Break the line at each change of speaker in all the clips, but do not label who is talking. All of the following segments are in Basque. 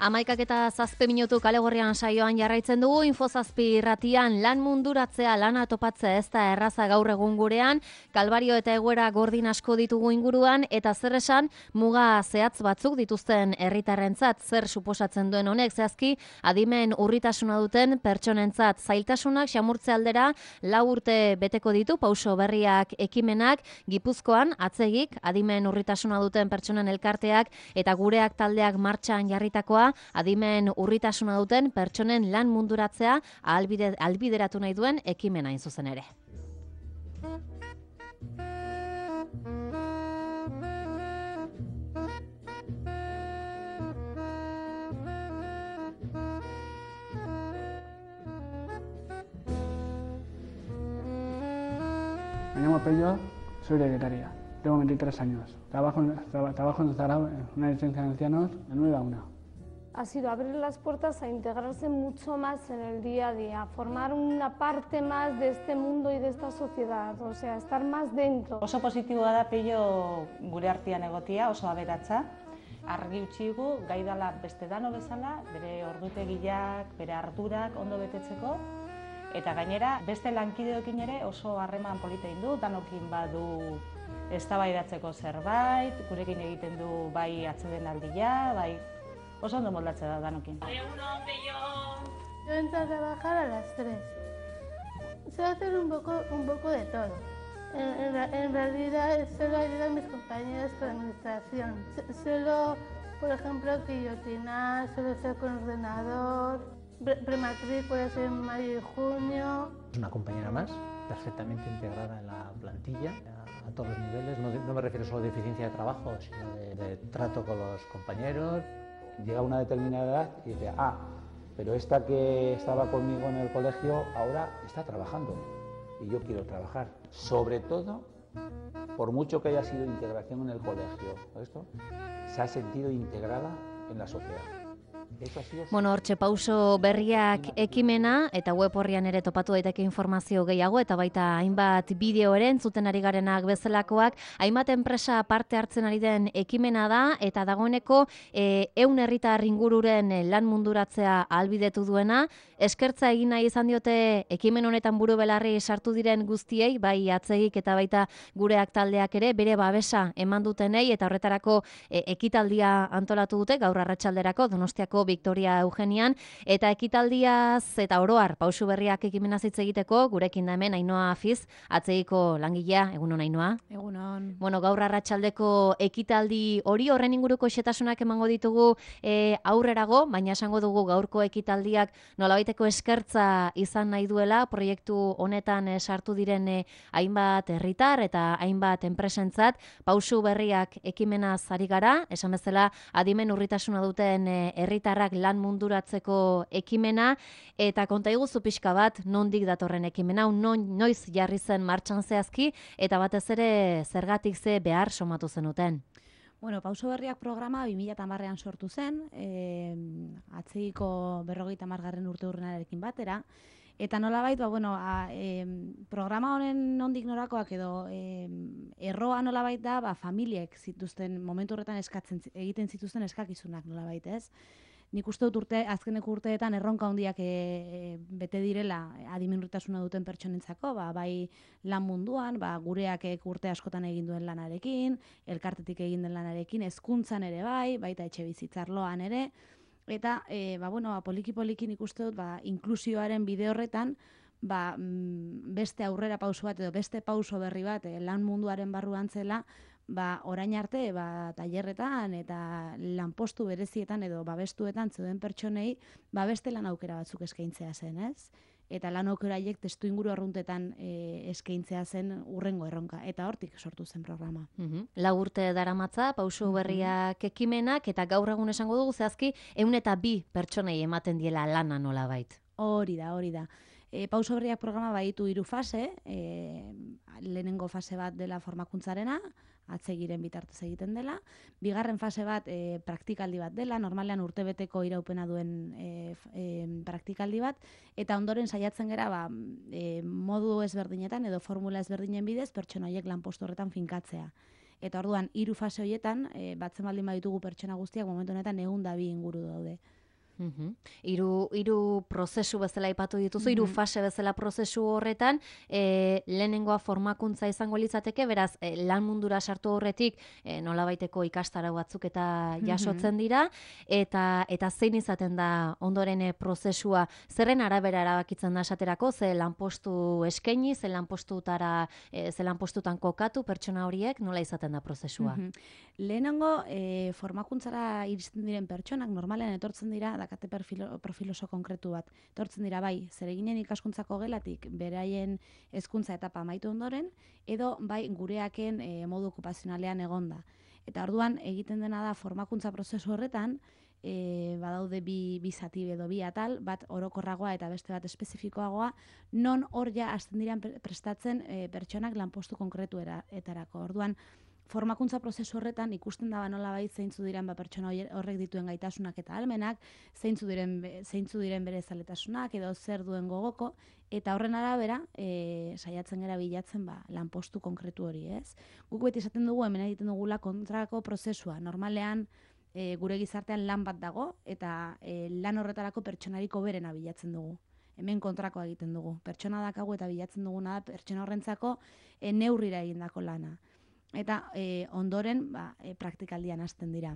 11:07 kale gorrian saioan jarraitzen dugu. Info7 irratian lan munduratzea, lana topatzea ez da erraza gaur egun gurean, kalbario eta egoera gordin asko ditugu inguruan, eta zer esan muga zehatz batzuk dituzten herritarrentzat. Zer suposatzen duen honek zehazki adimen urritasuna duten pertsonentzat. Zailtasunak xamurtze aldera 4 urte beteko ditu pauso berriak ekimenak. Gipuzkoan atzegik adimen urritasuna duten pertsonen elkarteak eta gureak taldeak martxan jarritakoa, adimen urritasuna duten pertsonen lan munduratzea ahalbideratu nahi duen ekimena hain zuzen ere.
Me llamo Pello, soy de Guetaria, tengo 23 años. Trabajo en Zaragoza, en una residencia de ancianos, de 9 a 1.
Ha sido abrir las puertas a integrarse mucho más en el día a día, formar una parte más de este mundo y de esta sociedad, o sea, estar más dentro.
Oso positiboa da Pello gure artean egotia, oso aberatsa. Argi utzigu, gai dala beste dano bezala, bere ordutegiak, bere ardurak ondo betetzeko, eta gainera beste lankideokin ere oso harreman polita egin du, danokin badu eztabaidatzeko zerbait, gurekin egiten du bai atsedenaldia, bai oso ondo moldatzen da danokin.
Yo entro a trabajar a las 3. Sé hacer un poco de todo. En realidad solo ayudo a mis compañeros con administración. Solo, por ejemplo, guillotinar, solo ser con ordenador, prematrículas en mayo y junio.
Es una compañera más, perfectamente integrada en la plantilla, a todos los niveles. No me refiero solo a eficiencia de trabajo, sino de trato con los compañeros.
Llega a una determinada edad y dice, pero esta que estaba conmigo en el colegio ahora está trabajando y yo quiero trabajar. Sobre todo, por mucho que haya sido integración en el colegio, se ha sentido integrada en la sociedad.
Hortxe pauso berriak ekimena eta web horrian ere topatu daiteke informazio gehiago eta baita hainbat bideo ere entzuten ari garenak bezalakoak, hainbat enpresa parte hartzen ari den ekimena da eta dagoeneko 100 herritar ingururen lan munduratzea ahalbidetu duena. Eskertza egin nahi izan diote ekimen honetan buru belarri sartu diren guztiei, bai atzegik eta baita gureak taldeak ere bere babesa eman dutenei, eta horretarako ekitaldia antolatu dute gaur arratsalderako Donostiako Victoria Eugenian, eta ekitaldiaz eta oroar pausu berriak ekimena hitz egiteko gurekin da hemen Ainhoa Afiz, atzegiko langilea. Egunon Ainhoa.
Egunon.
Gaur arratsaldeko ekitaldi hori horren inguruko xetasunak emango ditugu aurrerago, baina esango dugu gaurko ekitaldiak nolabaiteko eskertza izan nahi duela proiektu honetan sartu diren hainbat herritar eta hainbat enpresentzat. Pausu berriak ekimenaz ari gara, esan bezala adimen urritasuna duten herritarrak lan munduratzeko ekimena, eta konta iguzu pixka bat nondik datorren ekimena, noiz jarri zen martxan zehazki, eta batez ere zergatik ze behar somatu zenuten.
Pauso berriak programa 2010ean sortu zen, atzegiko 50. urte urrenarekin batera, eta nolabait, programa honen nondik norakoak edo erroa nolabait da, familiek zituzten, momentu horretan egiten zituzten eskakizunak nolabait, ez? Nik uste dut azkeneko urteetan erronka handiak bete direla adimen urritasuna duten pertsonentzako, bai lan munduan, gureak urte askotan egin duen lanarekin, elkartetik egin den lanarekin, hezkuntzan ere baita etxe bizitzarloan ere, eta poliki-poliki nik uste dut inklusioaren bide horretan beste aurrera pauso bat edo beste pauso berri bat lan munduaren barruan zela, orain arte tailerretan eta lanpostu berezietan edo babestuetan zeuden pertsonei beste lan aukera batzuk eskaintzea zen, ez? Eta lan aukera haiek testuinguru arruntetan eskaintzea zen urrengo erronka, eta hortik sortu zen programa.
4 urte daramatza pauso berriak ekimenak, eta gaur egun esango dugu zehazki 102 pertsonei ematen diela lana nolabait.
Hori da. Pauso berriak programa baditu 3 fase, lehenengo fase bat dela formakuntzarena, atzegiren bitartez egiten dela, bigarren fase bat praktikaldi bat dela, normalean urtebeteko iraupena duen praktikaldi bat, eta ondoren saiatzen gera modu ezberdinetan edo formula ezberdinen bidez pertsona horiek lanpostu horretan finkatzea. Eta orduan, 3 fase horietan, batzen baldin baditugu pertsona guztiak momentu honetan 102 inguru daude.
Hiru prozesu bezala aipatu dituzu, 3 fase bezala prozesu horretan, lehenengoa formakuntza izango litzateke, beraz, lan mundura sartu horretik nolabaiteko ikastaro batzuk eta jasotzen dira, eta zein izaten da ondoren prozesua, zerren arabera erabakitzen da esaterako, ze lanpostu eskaini, ze lanpostutan kokatu pertsona horiek, nola izaten da prozesua?
Lehenengo, formakuntzara iristen diren pertsonak normalean etortzen dira, dakate profil oso konkretu bat. Etortzen dira bai, zereginen ikaskuntzako gelatik beraien hezkuntza etapa amaitu ondoren, edo bai gureaken modu okupazionalean egonda. Eta orduan egiten dena da formakuntza prozesu horretan, badaude bi zati edo bi atal, bat orokorragoa eta beste bat espezifikoagoa, non hor ja hasten diran prestatzen pertsonak lanpostu konkretuetarako. Orduan, formakuntza prozesu horretan ikusten da nolabait zeintzu diren pertsona horrek dituen gaitasunak eta ahalmenak, zeintzu diren bere zaletasunak edo zer duen gogoko, eta horren arabera saiatzen gara bilatzen lanpostu konkretu hori, ez? Guk beti esaten dugu hemen egiten dugula kontrako prozesua. Normalean gure gizartean lan bat dago eta lan horretarako pertsonariko berena bilatzen dugu. Hemen kontrakoa egiten dugu. Pertsona dakagu eta bilatzen duguna da pertsona horrentzako neurrira egindako lana. Eta ondoren praktikaldian hasten dira.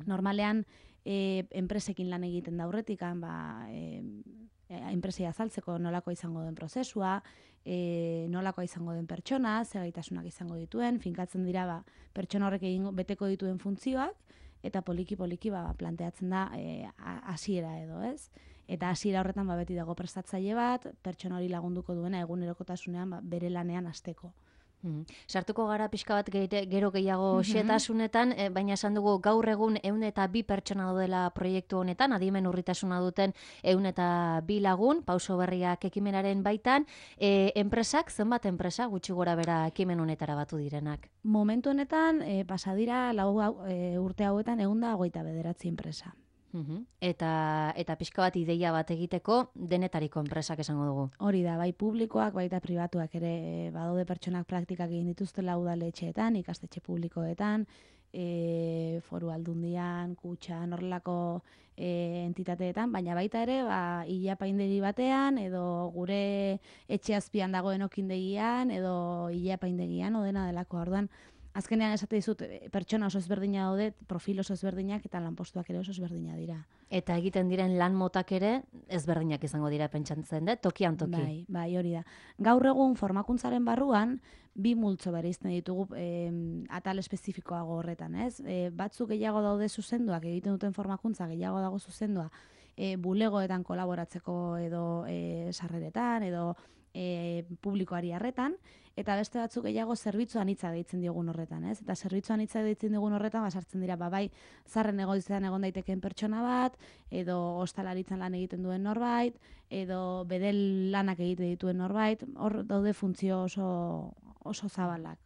Normalean enpresekin lan egiten da aurretik, enpresei azaltzeko nolakoa izango den prozesua, nolakoa izango den pertsona, ze gaitasunak izango dituen, finkatzen dira pertsona horrek beteko dituen funtzioak, eta poliki-poliki planteatzen da hasiera edo, ez? Eta hasiera horretan beti dago prestatzaile bat, pertsona hori lagunduko duena egunerokotasunean bere lanean hasteko.
Sartuko gara pixka bat gero gehiago xetasunetan, baina esan dugu gaur egun 102 pertsona daudela proiektu honetan, adimen urritasuna duten 102 lagun, Pauso Berriak ekimenaren baitan, enpresak, zenbat enpresa gutxi gora bera ekimen honetara batu direnak?
Momentu honetan, pasadira urte hauetan 129 enpresa.
Eta pixka bat ideia bat egiteko denetariko enpresak esango dugu.
Hori da, bai publikoak, baita pribatuak ere badaude pertsonak praktikak egin dituztela udaletxeetan, ikastetxe publikoetan, foru aldundian, kutxan, horrelako entitateetan, baina baita ere ilapaindegi batean, edo gure etxe azpian dagoen okindegian, edo ilapaindegian, odena delako. Orduan, azkenean esate dizut, pertsona oso ezberdina daude, profil oso ezberdinak eta lanpostuak ere oso ezberdina dira.
Eta egiten diren lan motak ere ezberdinak izango dira pentsatzen dut, tokian toki.
Bai, hori da. Gaur egun formakuntzaren barruan, 2 multzo bereizten ditugu atal espezifikoago horretan, ez? Batzuk gehiago daude zuzenduak, egiten duten formakuntza gehiago dago zuzendua, bulegoetan kolaboratzeko edo sarreretan, edo publikoari harretan, eta beste batzuk gehiago zerbitzu anitza deitzen diogun horretan, ez? Eta zerbitzu anitza deitzen diogun horretan sartzen dira, bai, zarren egoitzean egon daitekeen pertsona bat, edo ostalaritzan lan egiten duen norbait, edo bedel lanak egiten dituen norbait, hor daude funtzio oso zabalak.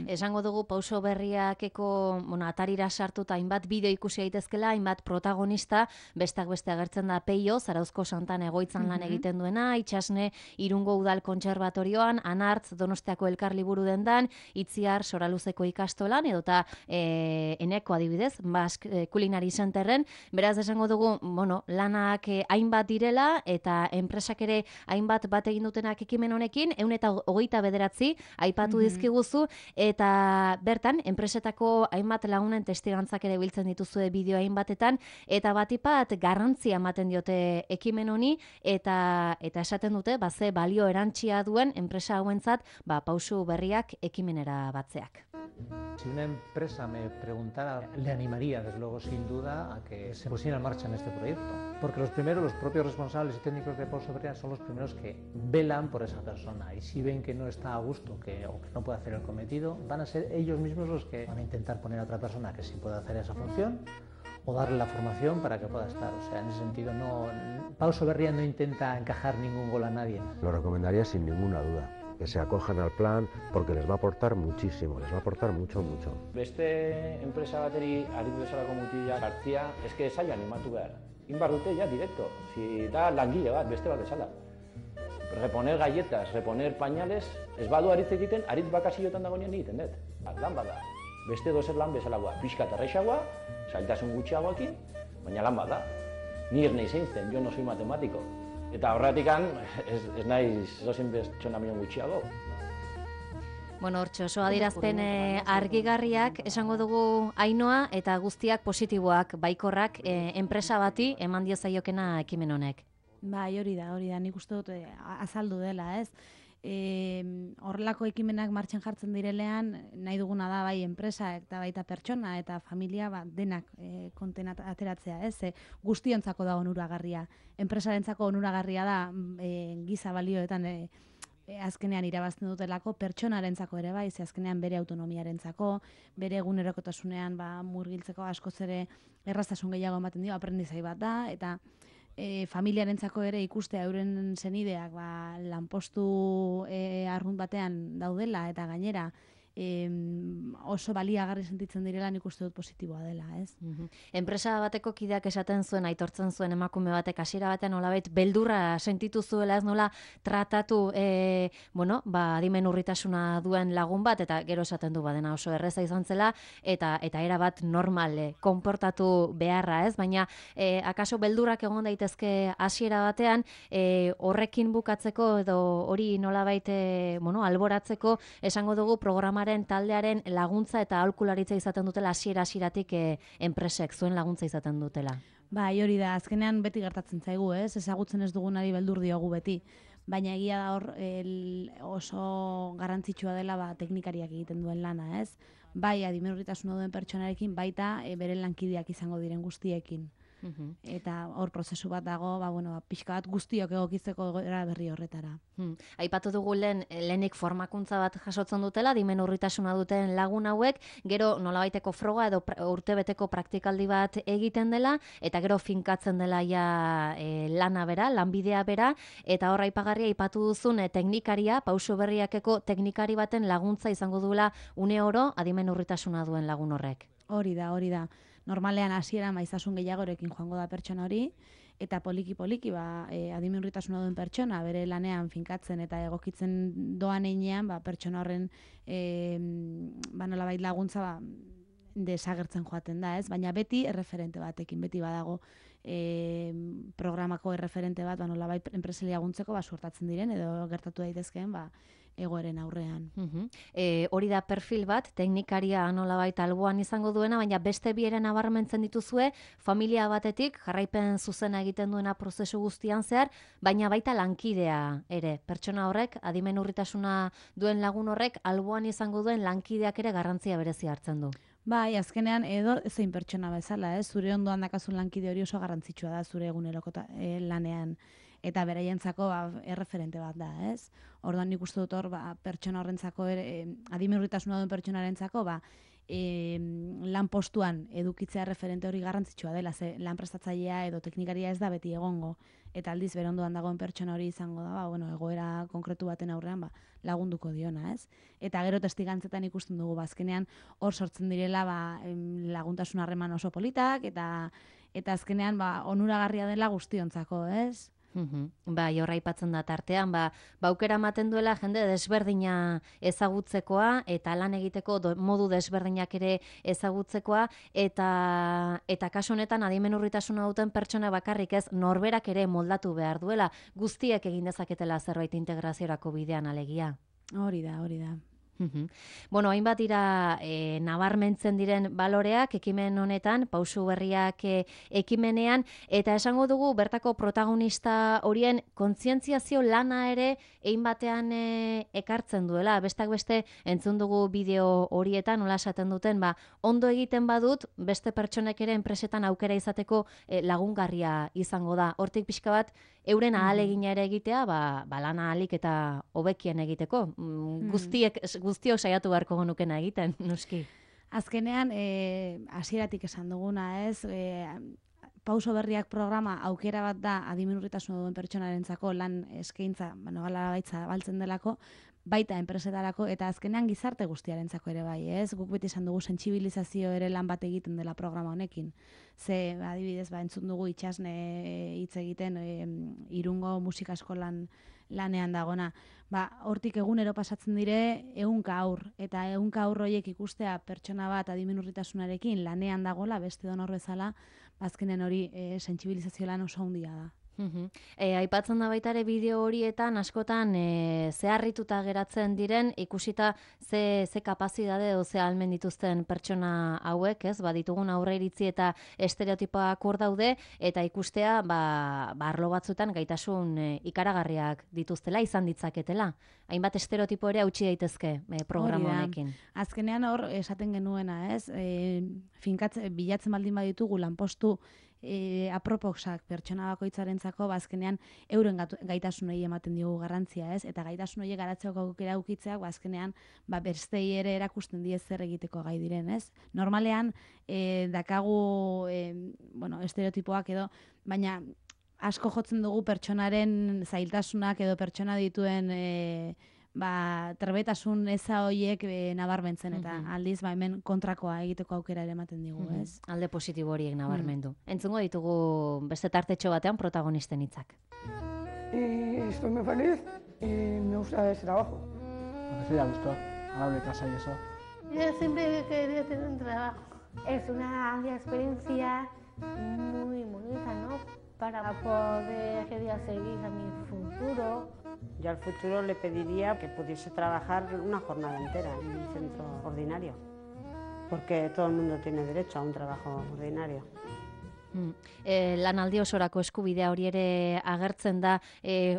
Esango dugu Pauso Berriakeko atarira sartuta hainbat bideo ikusi daitezkela, hainbat protagonista, besteak beste agertzen da Peio, Zarauzko Santan egoitzan lan egiten duena, Itxasne Irungo Udal Kontserbatorioan, Anartz Donostiako Elkarliburu dendan, Itziar Soraluzeko ikastolan, edota Eneko adibidez, Basque Culinary Centerren, beraz esango dugu, lanak hainbat direla, eta enpresak ere hainbat bat egin dutenak ekimen honekin, 129 aipatu dizkiguzu, eta bertan, enpresetako hainbat lagunen testigantzak ere biltzen dituzue bideo hainbatetan, eta batipat garrantzia ematen diote ekimen honi, eta esaten dute, ze balio erantsia duen enpresa hauentzat, Pauso Berriak ekimenera batzeak.
Si una empresa me preguntara, le animaría, desde luego, sin duda, a que se pusiera en marcha en este proyecto. Porque los propios responsables y técnicos de Pauso Berriak son los primeros que velan por esa persona. Y si ven que no está a gusto o que no puede hacer el cometido, van a ser ellos mismos los que van a intentar poner a otra persona que sí pueda hacer esa función o darle la formación para que pueda estar. O sea, en ese sentido, Pauso Berriak no intenta encajar ningún gol a nadie.
Lo recomendaría sin ninguna duda. Que se acojan al plan, porque les va a aportar muchísimo, les va a aportar mucho.
Beste enpresa bateri aritu bezalako mutila sartzia, eske zaila animatu behar. Inbar dute ja directo, si da langile bat, beste bat bezala. Reponer galletas, reponer pañales, ez badu aritz egiten, aritz bakasiotan dagoenean egiten dut. Lan bada. beste dozer lan bezalagoa, pixka eta errexagoa, zailtasun gutxiagoekin, baina lan bat da. Ni ez nahi zeintzen, jo no soy matematiko. Eta horretikan ez nahi zozen pertsona minon gutxiago.
Bueno, hortxe, oso adierazpen argigarriak esango dugu Ainoa eta guztiak positiboak, baikorrak, enpresa bati eman diezaiokena ekimen honek.
Bai, hori da, nik uste dut azaldu dela, ez? Horrelako ekimenak martxan jartzen direlean, nahi duguna da bai enpresa eta baita pertsona eta familia denak konten ateratzea, ez? Guztiontzako da onuragarria. Enpresarentzako onuragarria da giza balioetan azkenean irabazten dutelako, pertsonarentzako ere bai, ze azkenean bere autonomiarentzako, bere egunerokotasunean murgiltzeko askoz ere erraztasun gehiago ematen dio, aprendizai bat da, eta familiarentzako ere ikustea euren senideak lanpostu arrunt batean daudela eta gainera oso baliagarri sentitzen direla nik uste dut positiboa dela, ez?
Enpresa bateko kideak esaten zuen, aitortzen zuen emakume batek hasiera batean nolabait beldurra sentitu zuela, ez nola tratatu adimen urritasuna duen lagun bat, eta gero esaten du badena oso erreza izan zela, eta era bat normal konportatu beharra, ez? Baina akaso beldurrak egon daitezke hasiera batean, horrekin bukatzeko edo hori nolabait alboratzeko esango dugu programa taldearen laguntza eta aholkularitza izaten dutela hasieratik enpresek zuen laguntza izaten dutela.
Bai, hori da, azkenean beti gertatzen zaigu, ez? Ezagutzen ez dugunari beldur diogu beti. Baina egia da hor oso garrantzitsua dela teknikariak egiten duen lana, ez? Bai, adimen urritasuna duen pertsonarekin, baita bere lankideak izango diren guztiekin. Eta hor prozesu bat dago, pixka bat guztiok egokitzeko egoera berri horretara.
Aipatu dugu lehenik formakuntza bat jasotzen dutela, adimen urritasuna duten lagun hauek, gero nolabaiteko froga edo urtebeteko praktikaldi bat egiten dela, eta gero finkatzen dela lana bera, lanbidea bera, eta hor aipagarria aipatu duzun teknikaria, pauso berriakeko teknikari baten laguntza izango duela une oro adimen urritasuna duen lagun horrek.
Hori da. Normalean hasiera maizasun gehiagorekin joango da pertsona hori, eta poliki adimen urritasuna duen pertsona bere lanean finkatzen eta egokitzen doan einean, pertsona horren nolabait laguntza desagertzen joaten da, ez? Baina beti erreferente batekin, beti badago programako erreferente bat, nolabait enpreseli laguntzeko suertatzen diren edo gertatu daitezkeen egoeren aurrean.
Hori da perfil bat, teknikaria nolabait alboan izango duena, baina beste bieren nabarmentzen dituzue, familia batetik jarraipen zuzena egiten duena prozesu guztian zehar, baina baita lankidea ere. Pertsona horrek, adimen urritasuna duen lagun horrek, alboan izango duen lankideak ere garrantzia berezi hartzen du.
Bai, azkenean edo zein pertsona bezala, zure ondoan dakazun lankide hori oso garrantzitsua da zure eguneroko lanean. Eta beraientzako erreferente bat da, ez? Orduan nik uste dut hor, pertsona horrentzako, adimen urritasuna duen pertsonarentzako, lan postuan edukitzea referente hori garrantzitsua dela, ze lan prestatzailea edo teknikaria ez da beti egongo, eta aldiz bere ondoan dagoen pertsona hori izango da, egoera konkretu baten aurrean lagunduko diona, ez? Eta gero testigantzetan ikusten dugu, azkenean hor sortzen direla laguntasun harreman oso politak, eta azkenean onuragarria dela guztiontzako, ez?
Bai, horra aipatzen da tartean, aukera ematen duela jende desberdina ezagutzekoa eta lan egiteko modu desberdinak ere ezagutzekoa, eta kasu honetan adimen urritasuna duten pertsona bakarrik ez, norberak ere moldatu behar duela, guztiek egin dezaketela zerbait integraziorako bidean alegia.
Hori da.
Bueno, hainbat dira nabarmentzen diren baloreak ekimen honetan, pausu berriak ekimenean, eta esango dugu bertako protagonista horien kontzientziazio lana ere egin batean ekartzen duela. Bestak beste entzun dugu bideo horietan, nola esaten duten, ondo egiten badut, beste pertsonek ere enpresetan aukera izateko lagungarria izango da. Hortik pixka bat, euren ahalegina ere egitea, lana ahalik eta hobekien egiteko. Guztiok saiatu beharko genukena egiten, noski.
Azkenean, hasieratik esan duguna, ez? Pauso berriak programa aukera bat da adimen urritasuna duen pertsonarentzako lan eskaintza, gaitza baltzen delako, baita enpresetarako, eta azkenean gizarte guztiarentzako ere bai, ez? Guk beti esan dugu sentsibilizazio ere lan bat egiten dela programa honekin. Ze, adibidez, entzun dugu itxasne hitz egiten Irungo musika eskolan lanean dagona. Hortik egunero pasatzen dire 100 haur, eta 100 haur horiek ikustea pertsona bat adimenurritasunarekin lanean dagola, beste donor bezala, azkenen hori sentsibilizazio lan oso handia da.
Aipatzen da baita ere bideo horietan askotan zeharrituta geratzen diren ikusita ze kapazitate edo ze ahalmen dituzten pertsona hauek, ez? Ditugun aurreiritzi eta estereotipoak hor daude eta ikustea arlo batzuetan gaitasun ikaragarriak dituztela izan ditzaketela. Hainbat estereotipo ere hautsi daitezke programa honekin.
Azkenean hor esaten genuena, ez? Bilatzen baldin baditugu lanpostu aproposak pertsona bakoitzarentzako azkenean euren gaitasunei ematen diogu garrantzia, ez? Eta gaitasun horiek garatzeko aukera ukitzeak azkenean bestei ere erakusten die zer egiteko gai diren, ez? Normalean dakagu estereotipoak edo, baina asko jotzen dugu pertsonaren zailtasunak edo pertsona dituen trebetasun eza horiek nabarmentzen, eta aldiz hemen kontrakoa egiteko aukera ere ematen digu, ez?
Alde positibo horiek nabarmendu. Entzungo ditugu beste tartetxo batean protagonisten hitzak.
Estoy muy feliz y me gusta ese trabajo.
Porque estoy a gusto, al lado de casa y eso.
Yo siempre he querido tener un trabajo.
Es una experiencia muy bonita, ¿no? Para poder seguir a mi futuro.
Yo al futuro le pediría que pudiese trabajar una jornada entera en un centro ordinario, porque todo el mundo tiene derecho a un trabajo ordinario.
Lanaldi osorako eskubidea hori ere agertzen da,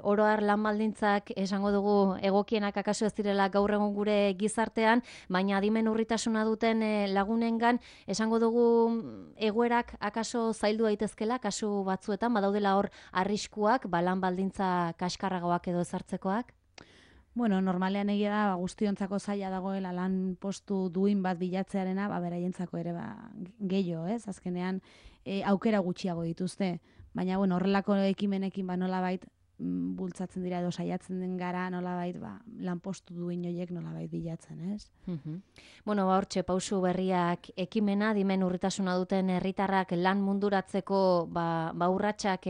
oro har lan baldintzak esango dugu egokienak akaso ez direla gaur egun gure gizartean, baina adimenurritasuna duten lagunengan esango dugu egoerak akaso zaildu daitezkela kasu batzuetan, badaudela hor arriskuak, lan baldintza kaskarragoak edo ezartzekoak?
Bueno, normalean egia da guztiontzako zaila dagoela lan postu duin bat bilatzearena, beraientzako ere gehiago, ez? Azkenean aukera gutxiago dituzte, baina horrelako ekimenekin nolabait bultzatzen dira edo saiatzen den gara nolabait lan postu duin horiek nolabait bilatzen, ez?
Hortxe pausu berriak ekimena, adimenurritasuna duten herritarrak lan munduratzeko urratsak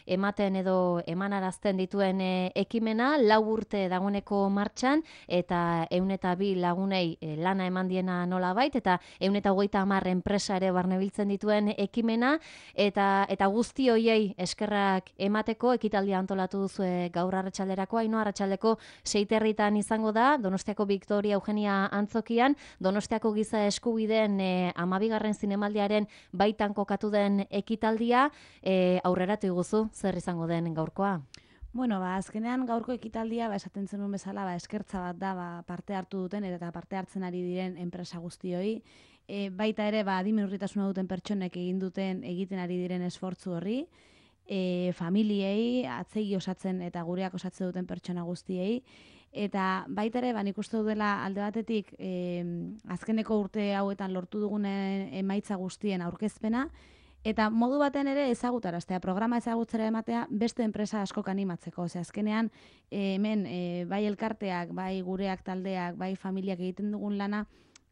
ematen edo emanarazten dituen ekimena, 4 urte dagoeneko martxan, eta 102 lagunei lana eman diena nolabait, eta 130 enpresa ere barnebiltzen dituen ekimena, eta guzti hoiei eskerrak emateko ekitaldia antolatu duzue gaur arratsalderako, Ainhoa, arratsaldeko 6 herritan izango da, Donostiako Victoria Eugenia antzokian, Donostiako giza eskubideen 12. zinemaldiaren baitan kokatu den ekitaldia, aurreratu iguzu, zer izango den gaurkoa?
Azkenean gaurko ekitaldia, esaten zenuen bezala, eskertza bat da, parte hartu duten eta parte hartzen ari diren enpresa guztioi, baita ere, adimenurritasuna duten pertsonek egiten ari diren esfortzu horri, familiei, atzegi osatzen eta gureak osatzen duten pertsona guztiei, eta baita ere, nik uste dudela alde batetik azkeneko urte hauetan lortu dugun emaitza guztien aurkezpena, eta modu baten ere ezagutaraztea, programa ezagutzera ematea beste enpresa askok animatzeko. Azkenean, hemen bai elkarteak, bai gureak taldeak, bai familiak egiten dugun lana,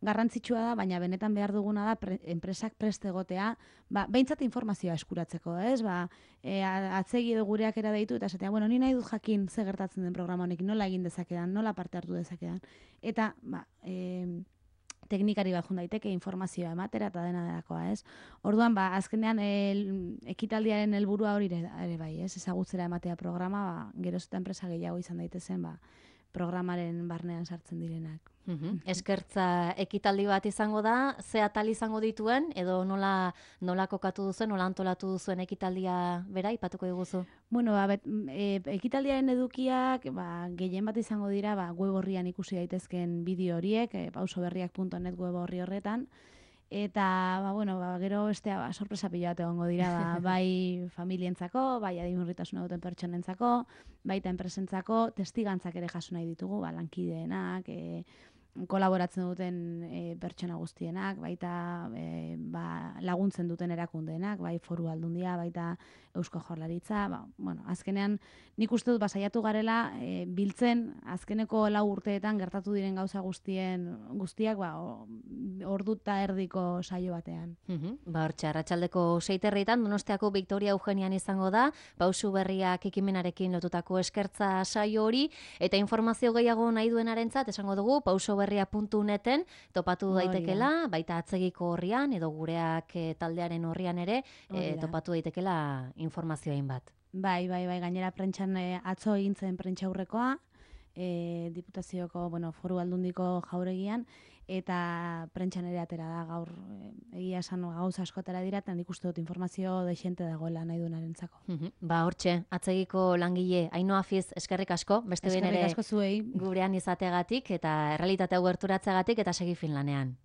garrantzitsua da, baina benetan behar duguna da enpresak prest egotea, behintzat informazioa eskuratzeko, ez? Atzegi edo gureak era deitu, eta esatea, ni nahi dut jakin ze gertatzen den programa honekin, nola egin dezakedan, nola parte hartu dezakedan. Eta, teknikari bat jun daiteke informazioa ematera eta dena delakoa, ez? Orduan, azkenean ekitaldiaren helburua hori ere bai, ez? Ezagutzera ematea programa, geroz eta enpresa gehiago izan daitezen, programaren barnean sartzen direnak.
Eskertza ekitaldi bat izango da, ze atal izango dituen, edo nola kokatu duzuen, nola antolatu duzuen ekitaldia bera, ipatuko diguzu?
Ekitaldiaren edukiak gehien bat izango dira, web horrian ikusi daitezken bideo horiek, pausoberriak.net web horri horretan, eta gero bestea sorpresa pila bat egongo dira, bai familientzako, bai adimenurritasuna duten pertsonentzako, baita enpresentzako, testigantzak ere jaso nahi ditugu, lankideenak, kolaboratzen duten pertsona guztienak, baita laguntzen duten erakundeenak, bai Foru Aldundia, baita Eusko Jaurlaritza, azkenean nik uste dut saiatu garela biltzen azkeneko 4 urteetan gertatu diren gauza guztiak ordu eta erdiko saio batean.
Hortxe, arratsaldeko 6:30 Donostiako Victoria Eugenian izango da, Pausu Berriak ekimenarekin lotutako eskertza saio hori, eta informazio gehiago nahi duenarentzat esango dugu pausoberria.neten topatu daitekela, baita atzegiko horrian edo gureak taldearen horrian ere topatu daitekela informazioain bat.
Bai, gainera prentxan atzo egin zen prentxaurrekoa, Diputazioko, Foru Aldundiko jauregian, eta prentxan ere atera da gaur egia esan gauza askotara dira, eta nik uste dut informazio dexente dagoela nahi duenarentzako.
Hortxe, atzegiko langile Ainhoa Fiz, eskerrik asko, beste behin ere gurean izateagatik, eta errealitatea gerturatzeagatik, eta segi Finlanean.